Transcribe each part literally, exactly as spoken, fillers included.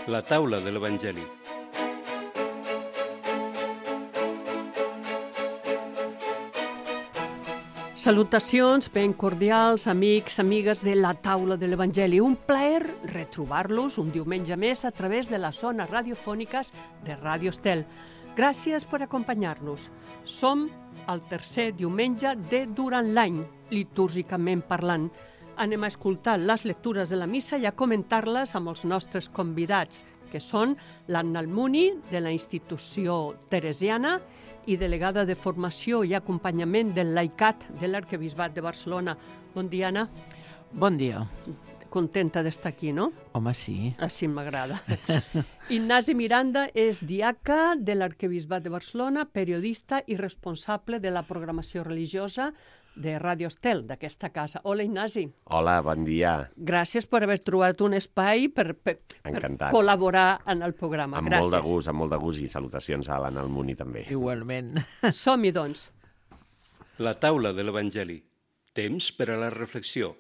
La taula de l'Evangeli. Salutacions ben cordials, amics, amigues de la taula de l'Evangeli. Un plaer retrobar-los un diumenge més a través de les zones radiofòniques de Ràdio Estel. Gràcies per acompanyar-nos. Som al tercer diumenge de durant l'any, litúrgicament parlant. Anem a escoltar les lectures de la missa i a comentar-les amb els nostres convidats, que són l'Anna Almuni, de la institució teresiana, i delegada de formació i acompanyament del laicat de l'Arquebisbat de Barcelona. Bon dia, Anna. Bon dia. Contenta d'estar aquí, no? Home, sí. Així m'agrada. Ignasi Miranda és diaca de l'Arquebisbat de Barcelona, periodista i responsable de la programació religiosa de Ràdio Estel, d'aquesta casa. Hola, Ignasi. Hola, bon dia. Gràcies per haver trobat un espai per, per, per col·laborar en el programa. Amb Gràcies. molt de gust, amb molt de gust, i salutacions a l'Anna Almuni també. Igualment. Som-hi, doncs. La taula de l'Evangeli. Temps per a la reflexió.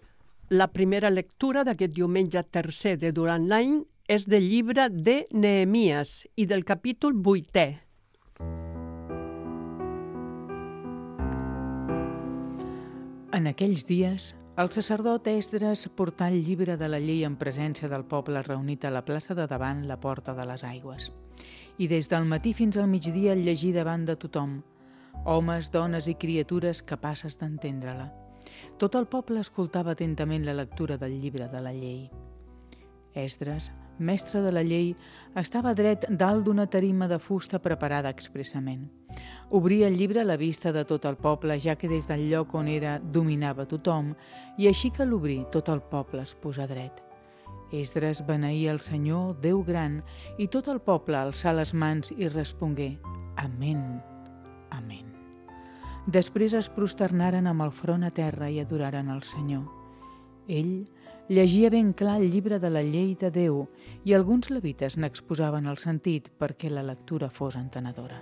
La primera lectura d'aquest diumenge tercer de durant l'any és del llibre de Nehemies i del capítol vuitè. En aquells dies, el sacerdot Esdres portà el llibre de la llei en presència del poble reunit a la plaça de davant la porta de les aigües. I des del matí fins al migdia el llegí davant de tothom, homes, dones i criatures capaces d'entendre-la. Tot el poble escoltava atentament la lectura del llibre de la llei. Esdres, mestre de la llei, estava dret dalt d'una tarima de fusta preparada expressament. Obria el llibre a la vista de tot el poble, ja que des del lloc on era dominava tothom, i així que l'obrí tot el poble es posà dret. Esdres beneïa el Senyor, Déu gran, i tot el poble alçà les mans i respongué: Amén, amén. Després es prosternaren amb el front a terra i adoraren el Senyor. Ell llegia ben clar el llibre de la llei de Déu i alguns levites n'exposaven el sentit perquè la lectura fos entenedora.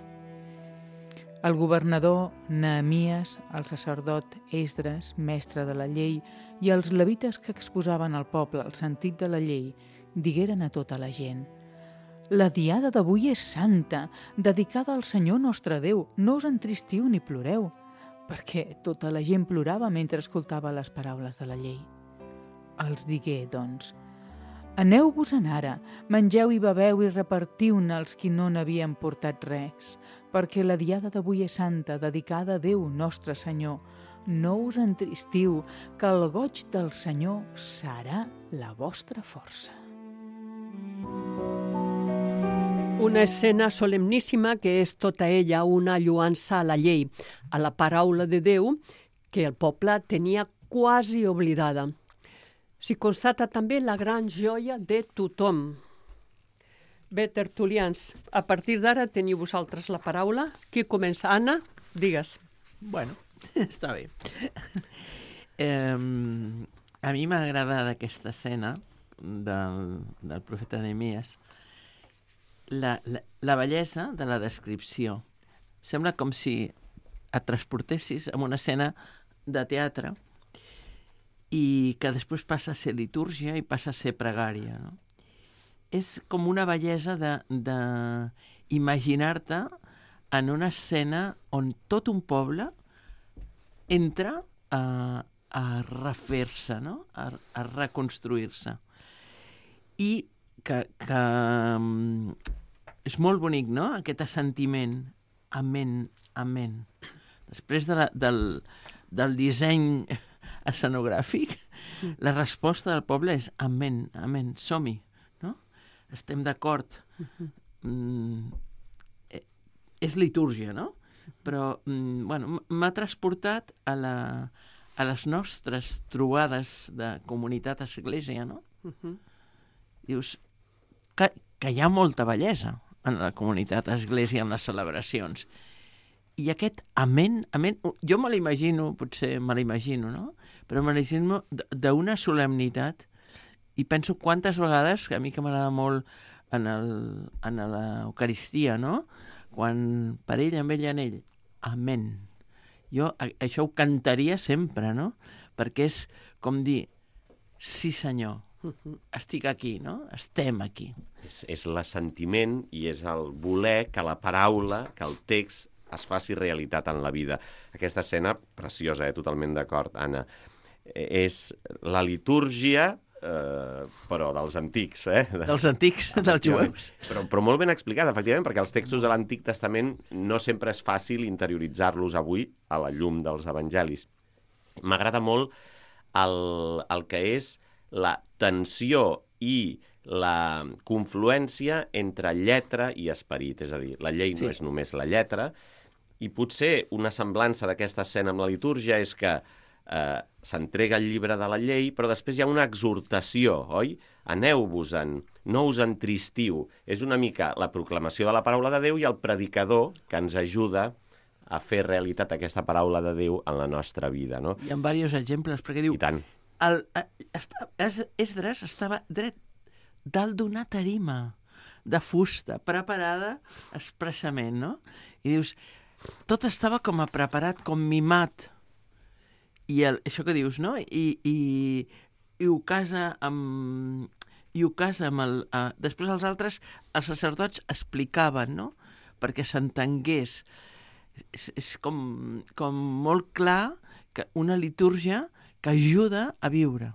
El governador Nehemies, el sacerdot Esdres, mestre de la llei, i els levites que exposaven al poble el sentit de la llei, digueren a tota la gent: La diada d'avui és santa, dedicada al Senyor nostre Déu. No us entristiu ni ploreu, perquè tota la gent plorava mentre escoltava les paraules de la llei. Els digué, doncs: Aneu-vos-en ara, mengeu i beveu i repartiu-ne als qui no n'havien portat res, perquè la diada d'avui és santa, dedicada a Déu, nostre Senyor. No us entristiu, que el goig del Senyor serà la vostra força. Una escena solemníssima que és tota ella una lloança a la llei, a la paraula de Déu, que el poble tenia quasi oblidada. S'hi constata també la gran joia de tothom. Bé, tertulians, a partir d'ara teniu vosaltres la paraula. Qui comença? Anna, digues. Bueno, està bé. Eh, a mi m'agrada d'aquesta escena del, del profeta Nehemies la, la, la bellesa de la descripció. Sembla com si et transportessis en una escena de teatre i que després passa a ser litúrgia i passa a ser pregària, no? És com una bellesa de, de imaginar-te en una escena on tot un poble entra a, a refer-se, no? a, a reconstruir-se. I que, que és molt bonic, no?, aquest assentiment. Amén, amén. Després de la, del, del disseny escenogràfic, la resposta del poble és amén, amén, som-hi, no? Estem d'acord. Mm, és litúrgia, no? Però, mm, bueno, m'ha transportat a, la, a les nostres trobades de comunitat església, no? Uh-huh. Dius que, que hi ha molta bellesa en la comunitat església, en les celebracions. I aquest amén, amén, jo me l'imagino, potser me l'imagino, no? Però me l'imagino d'una solemnitat i penso quantes vegades, que a mi que m'agrada molt en, el, en l'Eucaristia, no? Quan per ell, amb ell, en ell, amén. Jo això ho cantaria sempre, no? Perquè és com dir, sí senyor, estic aquí, no? Estem aquí. És, és l'assentiment i és el voler que la paraula, que el text es faci realitat en la vida. Aquesta escena, preciosa, eh? Totalment d'acord, Anna, és la litúrgia, eh, però dels antics, eh? Dels antics, dels jueus. Però, però molt ben explicada, efectivament, perquè els textos de l'Antic Testament no sempre és fàcil interioritzar-los avui a la llum dels evangelis. M'agrada molt el, el que és la tensió i la confluència entre lletra i esperit. És a dir, la llei sí. no és només la lletra, i potser una semblança d'aquesta escena amb la litúrgia és que eh, s'entrega el llibre de la llei, però després hi ha una exhortació, oi? Aneu-vos-en, no us entristiu. És una mica la proclamació de la paraula de Déu i el predicador que ens ajuda a fer realitat aquesta paraula de Déu en la nostra vida, no? Hi ha diversos exemples, perquè diu... I tant. El, esta, Esdres estava dret dalt d'una tarima de fusta, preparada expressament, no? I dius, tot estava com a preparat, com mimat. I el, això que dius, no? I, i, i ho casa amb... I ho casa amb el... Uh, després els altres, els sacerdots explicaven, no? Perquè s'entengués. És, és com, com molt clar que una litúrgia que ajuda a viure.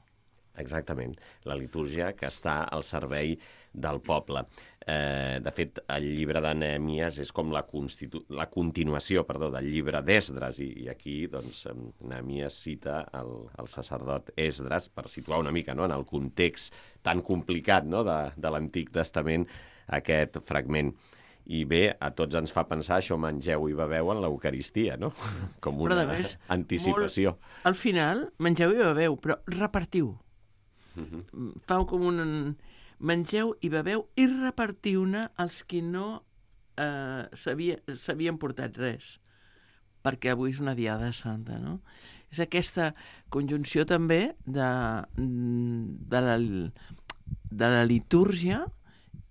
Exactament. La litúrgia que està al servei del poble. Eh, de fet, el llibre de Nehemies és com la, constitu... la continuació perdó, del llibre d'Esdres, i, i aquí doncs, Nehemies cita el, el sacerdot Esdres per situar una mica, no?, en el context tan complicat, no?, de, de l'Antic Testament aquest fragment. I bé, a tots ens fa pensar això, mengeu i beveu en l'Eucaristia, no? Com una més, anticipació. Molt, al final, mengeu i beveu, però repartiu. Uh-huh. Fau com un... Mengeu i beveu i repartiu-ne als qui no eh, s'havien portat res, perquè avui és una diada santa, no? És aquesta conjunció també de, de, la, de la litúrgia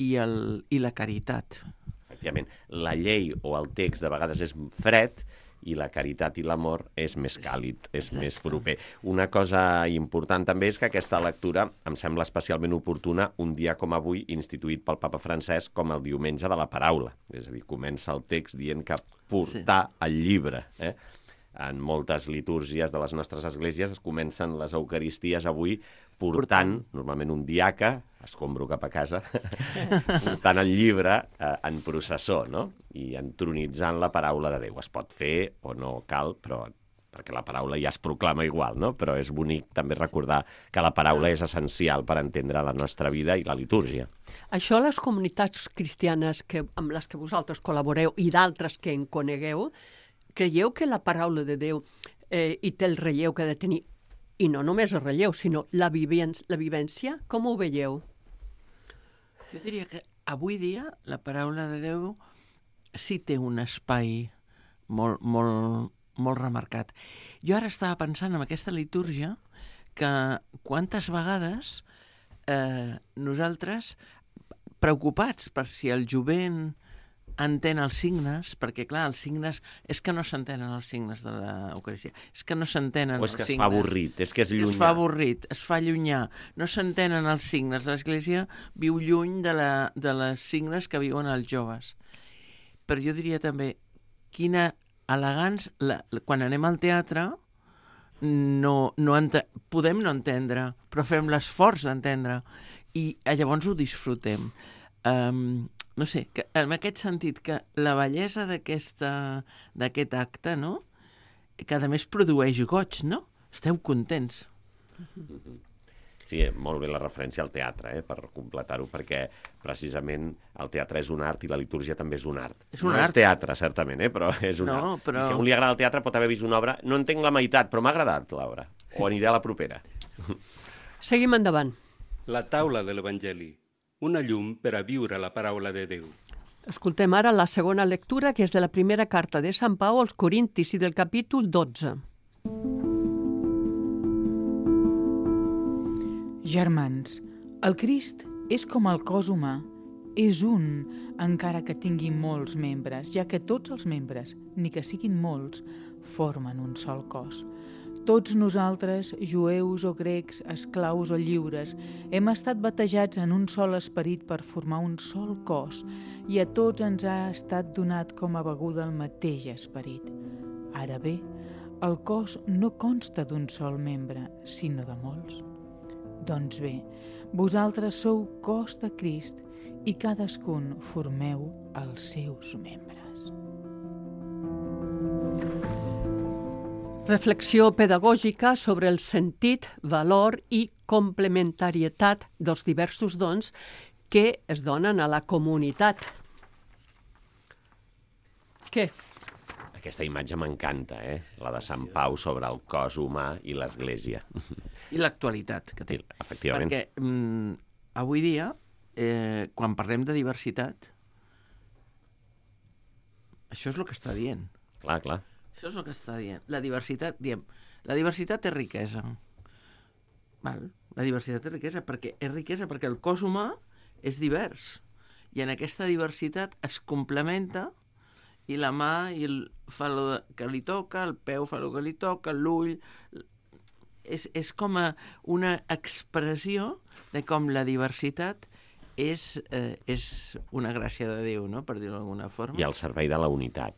i, el, i la caritat. Efectivament, la llei o el text de vegades és fred i la caritat i l'amor és més càlid, és Exacte. més proper. Una cosa important també és que aquesta lectura em sembla especialment oportuna un dia com avui, instituït pel papa Francesc com el diumenge de la paraula. És a dir, comença el text dient que portar sí. el llibre. Eh? En moltes litúrgies de les nostres esglésies es comencen les eucaristies avui portant, normalment un diaca, escombro cap a casa, portant el llibre eh, en processó, no? I entronitzant la paraula de Déu. Es pot fer o no cal, però perquè la paraula ja es proclama igual, no? Però és bonic també recordar que la paraula és essencial per entendre la nostra vida i la litúrgia. Això les comunitats cristianes que, amb les que vosaltres col·laboreu i d'altres que en conegueu, creieu que la paraula de Déu eh, i té el relleu que ha de tenir, i no només el relleu, sinó la, vivència, la vivència? Com ho veieu? Jo diria que avui dia la paraula de Déu sí té un espai molt, molt, molt remarcat. Jo ara estava pensant en aquesta litúrgia que quantes vegades eh, nosaltres, preocupats per si el jovent entén els signes, perquè clar, els signes és que no s'entenen els signes de l'Eucaristia, és que no s'entenen els signes. O és que es fa avorrit, és que és llunyà. Es fa avorrit, es fa llunyà, no s'entenen els signes. L'Església viu lluny de, la, de les signes que viuen els joves. Però jo diria també, quina elegància, la, quan anem al teatre, no, no ente, podem no entendre, però fem l'esforç d'entendre, i llavors ho disfrutem. Um, no sé, que, en aquest sentit, que la bellesa d'aquest acte, no?, que a més produeix goig, no? Esteu contents. Sí, molt bé la referència al teatre, eh, per completar-ho, perquè precisament el teatre és un art i la litúrgia també és un art. És un no art. és teatre, certament, eh, però és un no, art. Però... I si a un li agrada el teatre pot haver vist una obra, no entenc la meitat, però m'ha agradat l'obra. Sí. O aniré a la propera. Seguim endavant. La taula de l'Evangeli. Una llum per a viure la paraula de Déu. Escoltem ara la segona lectura, que és de la primera carta de Sant Pau als Corintis i del capítol dotze. Germans, el Crist és com el cos humà, és un, encara que tingui molts membres, ja que tots els membres, ni que siguin molts, formen un sol cos. Tots nosaltres, jueus o grecs, esclaus o lliures, hem estat batejats en un sol esperit per formar un sol cos i a tots ens ha estat donat com a beguda el mateix esperit. Ara bé, el cos no consta d'un sol membre, sinó de molts. Doncs bé, vosaltres sou cos de Crist i cadascun formeu els seus membres. Reflexió pedagògica sobre el sentit, valor i complementarietat dels diversos dons que es donen a la comunitat. Què? Aquesta imatge m'encanta, eh? La de Sant Pau sobre el cos humà i l'Església. I l'actualitat que té. Efectivament. Perquè mm, avui dia, eh, quan parlem de diversitat, això és el que està dient. Clar, clar. Això és el que està dient. La diversitat, diem, la diversitat és riquesa. Val? La diversitat és riquesa perquè és riquesa perquè el cos humà és divers. I en aquesta diversitat es complementa i la mà i el, fa el que li toca, el peu fa el que li toca, l'ull... És, és com a una expressió de com la diversitat és, eh, és una gràcia de Déu, no? Per dir-ho d'alguna forma. I al servei de la unitat.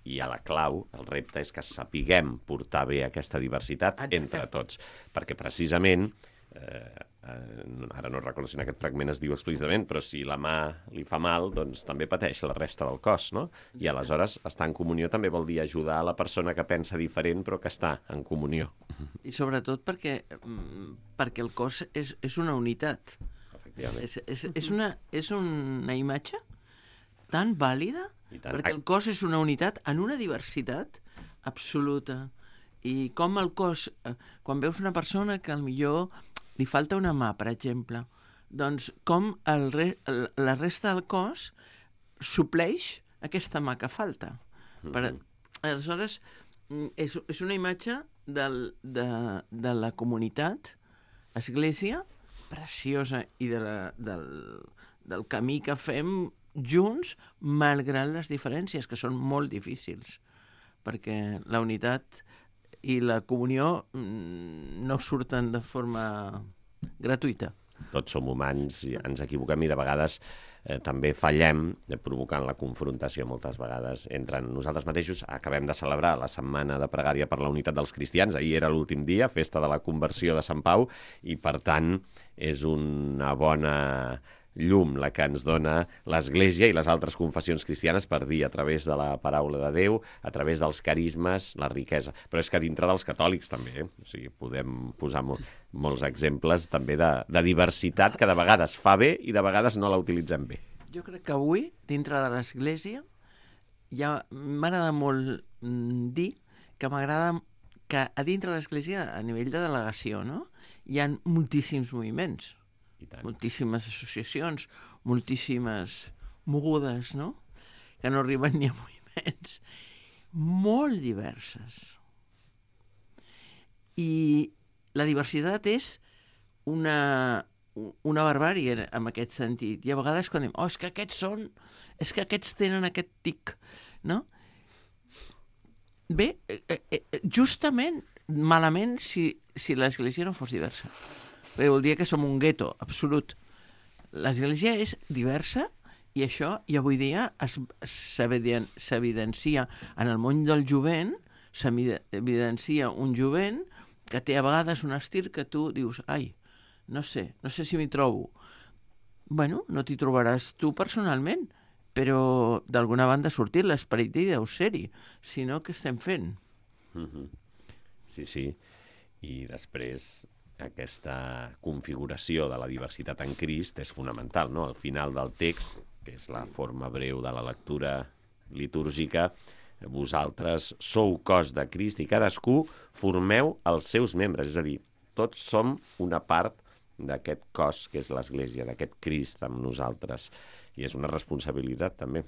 I a la clau, el repte és que sapiguem portar bé aquesta diversitat Exacte. Entre tots. Perquè precisament, eh, eh, ara no recordo si en aquest fragment es diu explícitament, però si la mà li fa mal, doncs també pateix la resta del cos, no? I aleshores estar en comunió també vol dir ajudar a la persona que pensa diferent però que està en comunió. I sobretot perquè, perquè el cos és, és una unitat. Efectivament. És, és, és, una, és una imatge tan vàlida perquè el cos és una unitat en una diversitat absoluta. I com el cos, quan veus una persona que millor li falta una mà, per exemple, doncs com el re, la resta del cos supleix aquesta mà que falta. Per, aleshores, és, és una imatge del, de, de la comunitat, església, preciosa, i de la, del, del camí que fem junts, malgrat les diferències, que són molt difícils, perquè la unitat i la comunió no surten de forma gratuïta. Tots som humans, i ens equivoquem i de vegades eh, també fallem, eh, provocant la confrontació moltes vegades entre nosaltres mateixos. Acabem de celebrar la setmana de pregària per la unitat dels cristians. Ahir era l'últim dia, festa de la conversió de Sant Pau, i per tant és una bona llum la que ens dona l'Església i les altres confessions cristianes per dir a través de la paraula de Déu, a través dels carismes, la riquesa. Però és que dintre dels catòlics també, eh? O sigui, podem posar mo molts exemples també de, de diversitat que de vegades fa bé i de vegades no la utilitzem bé. Jo crec que avui, dintre de l'Església, ja m'agrada molt mm, dir que m'agrada que a dintre de l'Església, a nivell de delegació, no? Hi ha moltíssims moviments. Moltíssimes associacions, moltíssimes mogudes, no? Que no arriben ni a moviments. Molt diverses. I la diversitat és una, una barbàrie en aquest sentit. I a vegades quan diem, oh, és que aquests són, és que aquests tenen aquest tic, no? Bé, eh, eh, justament malament si, si l'Església no fos diversa. Perquè vol dir que som un gueto absolut. L'Església és diversa i això, i avui dia s'evidencia en el món del jovent, s'evidencia un jovent que té a vegades un estil que tu dius, ai, no sé, no sé si m'hi trobo. Bueno, no t'hi trobaràs tu personalment, però d'alguna banda ha sortit l'esperit i deu ser-hi, si no, què estem fent? Mm-hmm. Sí, sí. I després aquesta configuració de la diversitat en Crist és fonamental, no? Al final del text, que és la forma breu de la lectura litúrgica, vosaltres sou cos de Crist i cadascú formeu els seus membres, és a dir, tots som una part d'aquest cos que és l'Església, d'aquest Crist amb nosaltres. I és una responsabilitat, també.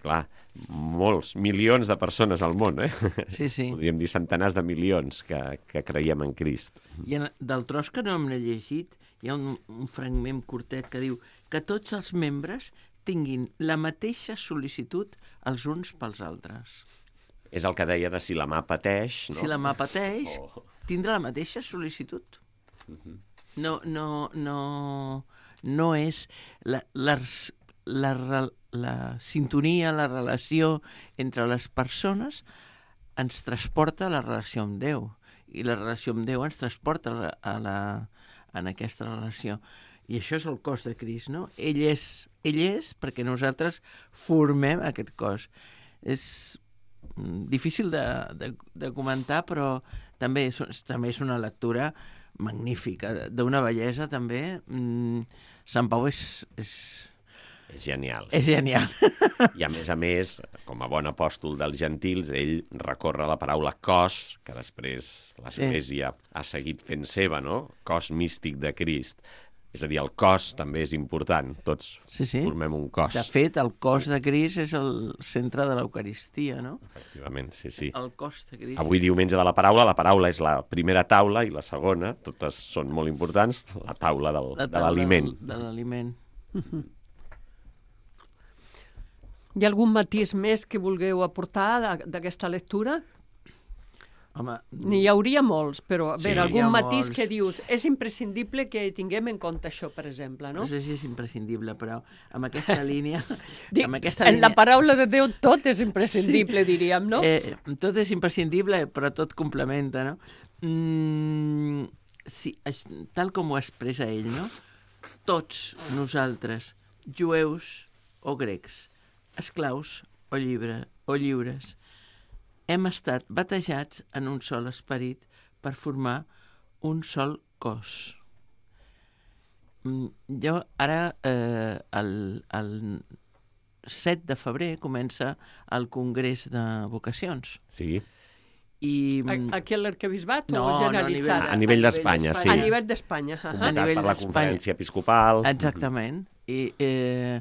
Clar, molts, milions de persones al món, eh? Sí, sí. Podríem dir centenars de milions que, que creiem en Crist. I en, del tros que no hem llegit, hi ha un, un fragment curtet que diu que tots els membres tinguin la mateixa sol·licitud els uns pels altres. És el que deia de si la mà pateix, no? Si la mà pateix, oh. tindre la mateixa sol·licitud. Uh-huh. No, no, no, no és la, la, la, la sintonia, la relació entre les persones ens transporta a la relació amb Déu, i la relació amb Déu ens transporta a la, a la, en aquesta relació. I això és el cos de Crist, no? Ell és, ell és perquè nosaltres formem aquest cos. És difícil de, de, de comentar, però també és, també és una lectura magnífica, d'una bellesa també. Mm, Sant Pau és... és... És genial. És genial. I a més a més, com a bon apòstol dels gentils, ell recorre la paraula cos, que després l'Església sí. ha seguit fent seva, no? Cos místic de Crist. És a dir, el cos també és important. Tots sí, sí. formem un cos. De fet, el cos de Crist és el centre de l'Eucaristia, no? Efectivament, sí, sí. El cos de Crist. Avui, diumenge de la paraula, la paraula és la primera taula i la segona, totes són molt importants, la taula del, la taula de l'aliment. De l'aliment. Hi ha algun matís més que vulgueu aportar d'aquesta lectura? Home, N'hi hauria molts, però a sí, veure, algun matís molts. que dius és imprescindible que tinguem en compte això, per exemple, no? No sé si és imprescindible, però amb aquesta línia... Dic, amb aquesta en línia... la paraula de Déu tot és imprescindible, sí. diríem, no? Eh, tot és imprescindible, però tot complementa, no? Mm, sí, tal com ho expressa ell, no? Tots nosaltres, jueus o grecs, esclaus o, llibre, o lliures, hem estat batejats en un sol esperit per formar un sol cos. Jo ara, eh, el, el set de febrer, comença el Congrés de Vocacions. Sí. I... Aquí a l'Arquebisbat no, o generalitzat? No, a nivell d'Espanya, sí. A nivell d'Espanya. Uh -huh. A nivell per la Conferència Episcopal. Exactament. I, eh,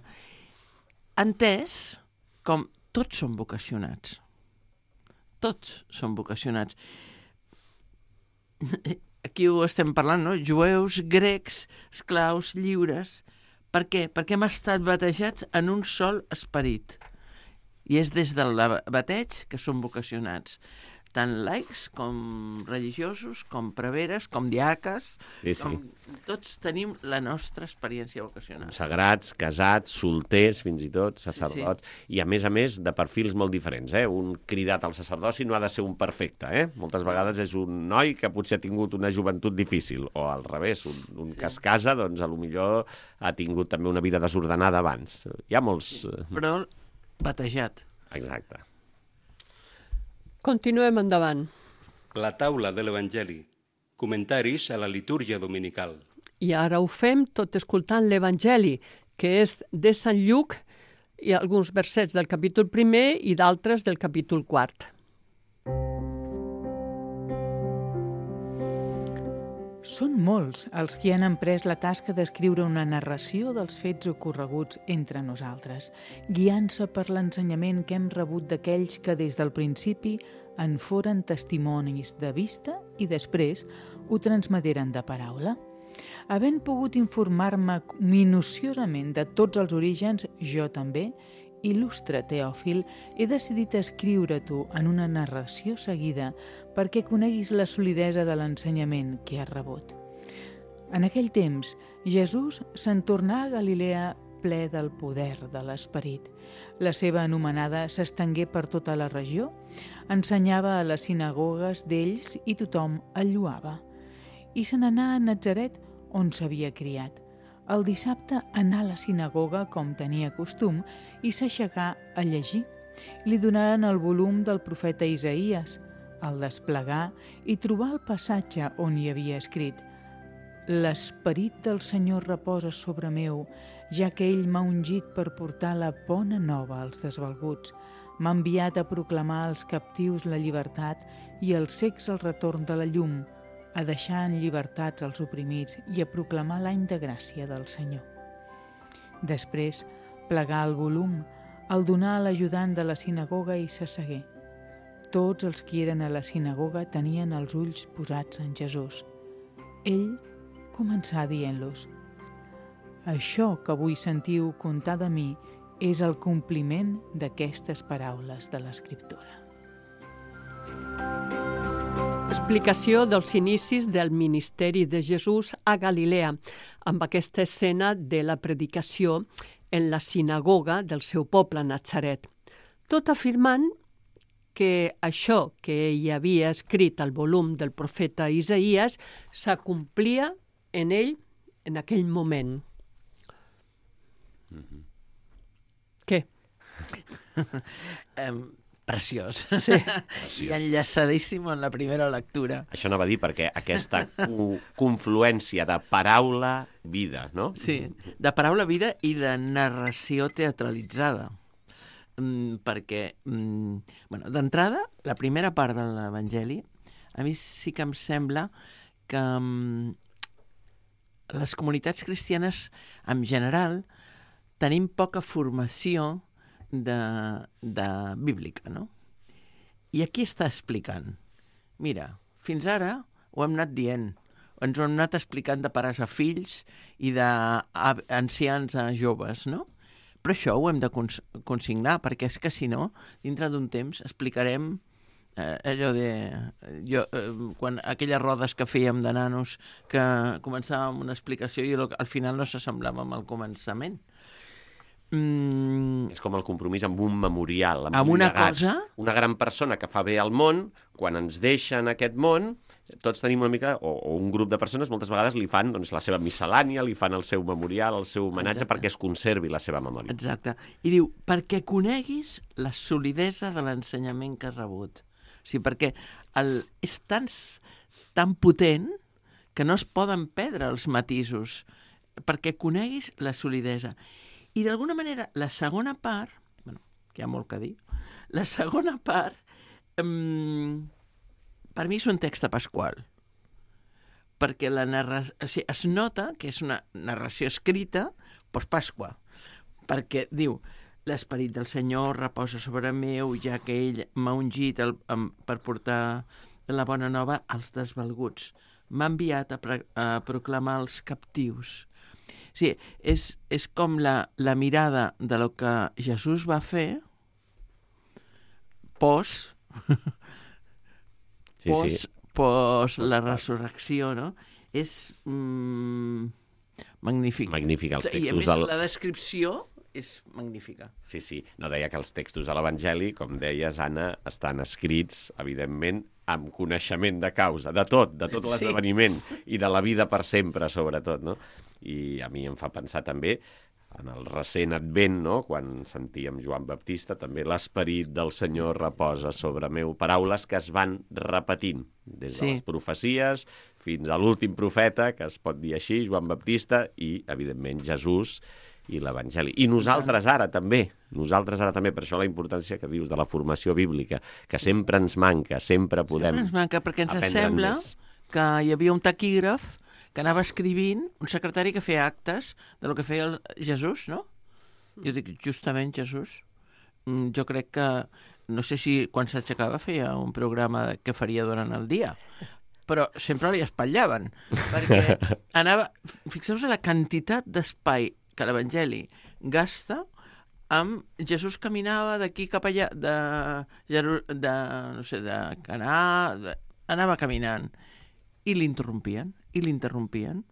entès com tots són vocacionats. Tots són vocacionats. Aquí ho estem parlant, no? Jueus, grecs, esclaus, lliures. Per què? Perquè hem estat batejats en un sol esperit. I és des del bateig que som vocacionats. Tant laics com religiosos, com preveres, com diaques, sí, sí. Com... tots tenim la nostra experiència vocacional. Sagrats, casats, solters, fins i tot, sacerdots, sí, sí. I a més a més de perfils molt diferents. Eh? Un cridat al sacerdoci no ha de ser un perfecte. Eh? Moltes vegades és un noi que potser ha tingut una joventut difícil, o al revés, un, un sí. que es casa, doncs a lo millor ha tingut també una vida desordenada abans. Hi ha molts... Sí, però batejat. Exacte. Continuem endavant. La taula de l'Evangeli. Comentaris a la litúrgia dominical. I ara ho fem tot escoltant l'Evangeli, que és de Sant Lluc, i alguns versets del capítol primer i d'altres del capítol quart. Són molts els que han emprès la tasca d'escriure una narració dels fets ocorreguts entre nosaltres, guiant-se per l'ensenyament que hem rebut d'aquells que des del principi en foren testimonis de vista i després ho transmeteren de paraula. Havent pogut informar-me minuciosament de tots els orígens, jo també, il·lustre Teòfil, he decidit escriure-t'ho en una narració seguida perquè coneguis la solidesa de l'ensenyament que has rebut. En aquell temps, Jesús se'n tornà a Galilea ple del poder de l'Esperit. La seva anomenada s'estengué per tota la regió, ensenyava a les sinagogues d'ells i tothom el lloava. I se n'anà a Natzaret, on s'havia criat. El dissabte anà a la sinagoga com tenia costum i s'aixecà a llegir. Li donaren el volum del profeta Isaïes, el desplegà i trobà el passatge on hi havia escrit: «L'esperit del Senyor reposa sobre meu, ja que ell m'ha ungit per portar la bona nova als desvalguts. M'ha enviat a proclamar als captius la llibertat i als cecs el retorn de la llum, a deixar en llibertats els oprimits i a proclamar l'any de gràcia del Senyor». Després, plegà el volum, el donà a l'ajudant de la sinagoga i s'assegué. Tots els que eren a la sinagoga tenien els ulls posats en Jesús. Ell començà dient-los: «Això que avui sentiu contar de mi és el compliment d'aquestes paraules de l'Escriptura». explicació dels inicis del ministeri de Jesús a Galilea, amb aquesta escena de la predicació en la sinagoga del seu poble, Natzaret, tot afirmant que això que ell havia escrit al volum del profeta Isaías s'acomplia en ell en aquell moment. Mm-hmm. Què? um, preciós. Sí. I enllaçadíssim en la primera lectura. Això no va dir perquè aquesta co confluència de paraula-vida, no? Sí, de paraula-vida i de narració teatralitzada. Mm, perquè, mm, bueno, d'entrada, la primera part de l'Evangeli, a mi sí que em sembla que mm, les comunitats cristianes, en general, tenim poca formació de, de bíblica, no? I aquí està explicant. Mira, fins ara ho hem anat dient, ens ho hem anat explicant de pares a fills i d'ancians a joves, no? Però això ho hem de cons consignar, perquè és que si no, dintre d'un temps explicarem eh, allò de... Jo, eh, quan aquelles rodes que fèiem de nanos, que començàvem una explicació i al final no s'assemblava amb el començament. Mm. És com el compromís amb un memorial, amb, amb un una llegat. cosa... Una gran persona que fa bé al món, quan ens deixa en aquest món, tots tenim una mica, o, o un grup de persones, moltes vegades li fan doncs, la seva miscel·lània, li fan el seu memorial, el seu homenatge, Exacte. perquè es conservi la seva memòria. Exacte. I diu, perquè coneguis la solidesa de l'ensenyament que has rebut. O sigui, perquè el, és tan, tan potent que no es poden perdre els matisos, perquè coneguis la solidesa. I d'alguna manera, la segona part, bueno, que hi ha molt que dir, la segona part, um, per mi és un text pasqual, perquè la narració, o sigui, es nota que és una narració escrita post-Pasqua, perquè diu, l'esperit del Senyor reposa sobre meu, ja que ell m'ha ungit el, um, per portar la bona nova als desvalguts. M'ha enviat a, pre, a proclamar els captius. Sí, és, és com la, la mirada de lo que Jesús va fer post, Sí, post, sí. post la resurrecció, no? És mm, magnífic. Magnífic, els I a textos més del... la descripció és magnífica. Sí, sí. No, deia que els textos de l'Evangeli, com deies, Anna, estan escrits, evidentment, amb coneixement de causa, de tot, de tot l'esdeveniment i de la vida per sempre, sobretot, no? I a mi em fa pensar també en el recent advent, no? Quan sentíem Joan Baptista, també l'esperit del Senyor reposa sobre meu. Paraules que es van repetint, des de Sí. les profecies fins a l'últim profeta, que es pot dir així, Joan Baptista, i, evidentment, Jesús i l'Evangeli. I nosaltres ara també, nosaltres ara també, per això la importància que dius de la formació bíblica, que sempre ens manca, sempre podem Ens manca, perquè ens aprendre'n sembla més. que hi havia un taquígraf que anava escrivint, un secretari que feia actes de lo que feia el Jesús, no? Jo dic, justament Jesús. Mm, Jo crec que, no sé si quan s'aixecava feia un programa que faria durant el dia, però sempre li espatllaven, perquè anava... Fixeu-vos la quantitat d'espai que l'Evangeli gasta amb Jesús caminava d'aquí cap allà, de, Jeru- de, no sé, de Canà, de, anava caminant, i l'interrompien, i l'interrompien.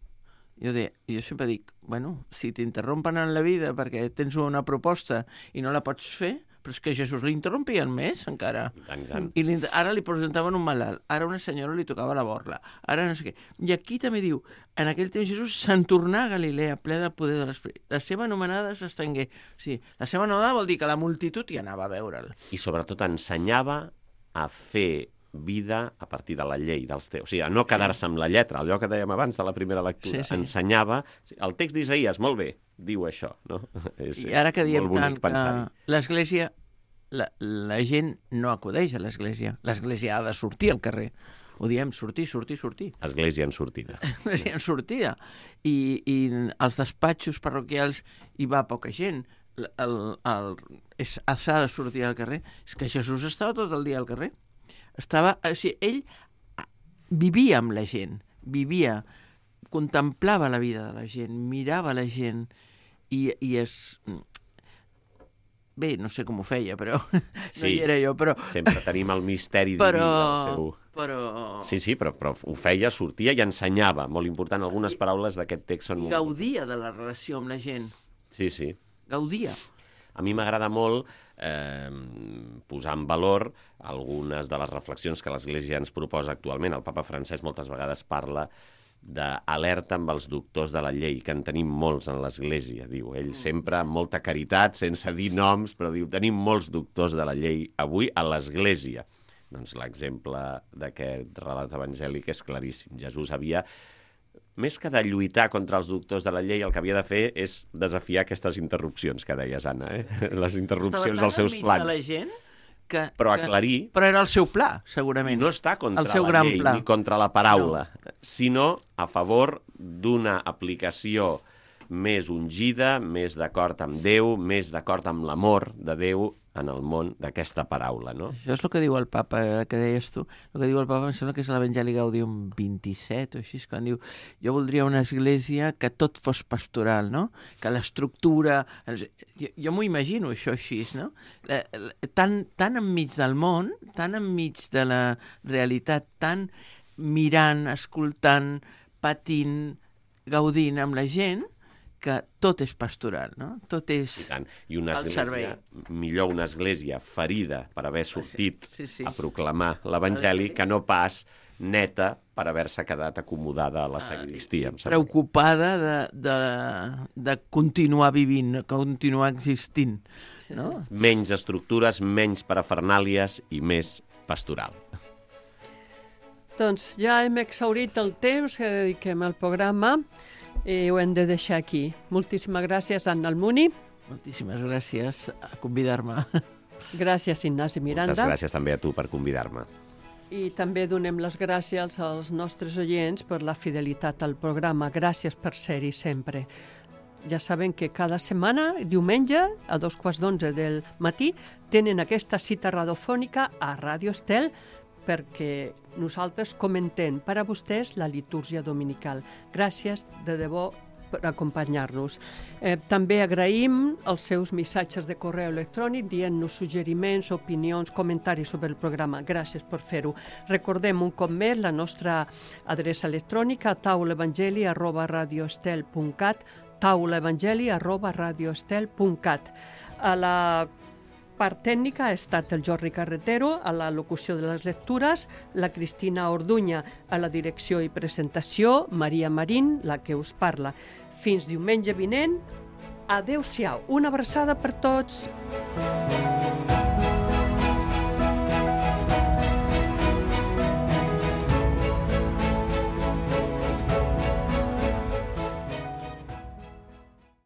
Jo, de, jo sempre dic, bueno, si t'interrompen en la vida perquè tens una proposta i no la pots fer, però és que Jesús l'interrompien més, encara. I tant, i tant. I li, ara li presentaven un malalt, ara una senyora li tocava la borla, ara no sé què. I aquí també diu, en aquell temps Jesús se'n tornà a Galilea, ple del poder de l'Esperit. La seva anomenada s'estengué. O sigui, la seva anomenada vol dir que la multitud hi anava a veure'l. I sobretot ensenyava a fer vida a partir de la llei dels teus. O sigui, a no quedar-se amb la lletra, allò que dèiem abans de la primera lectura. Sí, sí. Ensenyava... El text d'Isaïas, molt bé, diu això, no? És, I ara que és diem molt tant bonic que pensar-hi. l'Església, la, la gent no acudeix a l'Església. L'Església ha de sortir al carrer. Ho diem, sortir, sortir, sortir. Església en sortida. Església en sortida. I, I als despatxos parroquials hi va poca gent. El, el, el, és, s'ha de sortir al carrer. És que Jesús estava tot el dia al carrer. Estava, o sigui, ell vivia amb la gent, vivia, contemplava la vida de la gent, mirava la gent i, i es... Bé, no sé com ho feia, però sí, no hi era jo, però... Sempre tenim el misteri però, diví del seu... però... Sí, sí, però, però ho feia, sortia i ensenyava. Molt important, algunes paraules d'aquest text són... I gaudia de la relació amb la gent. Sí, sí. Gaudia. A mi m'agrada molt eh, posar en valor algunes de les reflexions que l'Església ens proposa actualment. El papa Francesc moltes vegades parla d'alerta amb els doctors de la llei, que en tenim molts en l'Església, diu. Ell sempre amb molta caritat, sense dir noms, però diu, tenim molts doctors de la llei avui a l'Església. Doncs l'exemple d'aquest relat evangèlic és claríssim. Jesús havia, més que de lluitar contra els doctors de la llei, el que havia de fer és desafiar aquestes interrupcions que deies, Anna, eh? Les interrupcions dels seus plans. Estava tan enmig de la gent que... Però que... aclarir... Però era el seu pla, segurament. I no està contra el seu la gran llei pla. ni contra la paraula, no. Sinó a favor d'una aplicació més ungida, més d'acord amb Déu, més d'acord amb l'amor de Déu en el món d'aquesta paraula, no? Això és el que diu el papa, el que deies tu. El que diu el papa em sembla que és l'Evangeli Gaudium vint-i-set o així, quan diu jo voldria una església que tot fos pastoral, no? Que l'estructura... Jo, jo m'ho imagino això així, no? Tan, tan enmig del món, tan enmig de la realitat, tan mirant, escoltant, patint, gaudint amb la gent, que tot és pastoral, no? Tot és I tant. I una al església, servei. millor una església ferida per haver sortit sí, sí. a proclamar l'Evangeli que no pas neta per haver-se quedat acomodada a la sagristia. Ah, preocupada de, de, de continuar vivint, de continuar existint, no? Menys estructures, menys parafernàlies i més pastoral. Doncs ja hem exhaurit el temps que dediquem al programa i ho hem de deixar aquí. Moltíssimes gràcies, Anna Almuni. Moltíssimes gràcies a convidar-me. Gràcies, Ignasi Miranda. Moltes gràcies també a tu per convidar-me. I també donem les gràcies als nostres oients per la fidelitat al programa. Gràcies per ser-hi sempre. Ja saben que cada setmana, diumenge, a dos quarts d'onze del matí, tenen aquesta cita radiofònica a Ràdio Estel perquè nosaltres comentem per a vostès la litúrgia dominical. Gràcies de debò per acompanyar-nos. Eh, també agraïm els seus missatges de correu electrònic dient-nos suggeriments, opinions, comentaris sobre el programa. Gràcies per fer-ho. Recordem un cop més la nostra adreça electrònica taulaevangeli arroba radioestel punt cat taulaevangeli arroba radioestel punt cat. A la part tècnica ha estat el Jordi Carretero, a la locució de les lectures, la Cristina Orduña, a la direcció i presentació, Maria Marín, la que us parla. Fins diumenge vinent, adeu-siau, una abraçada per tots.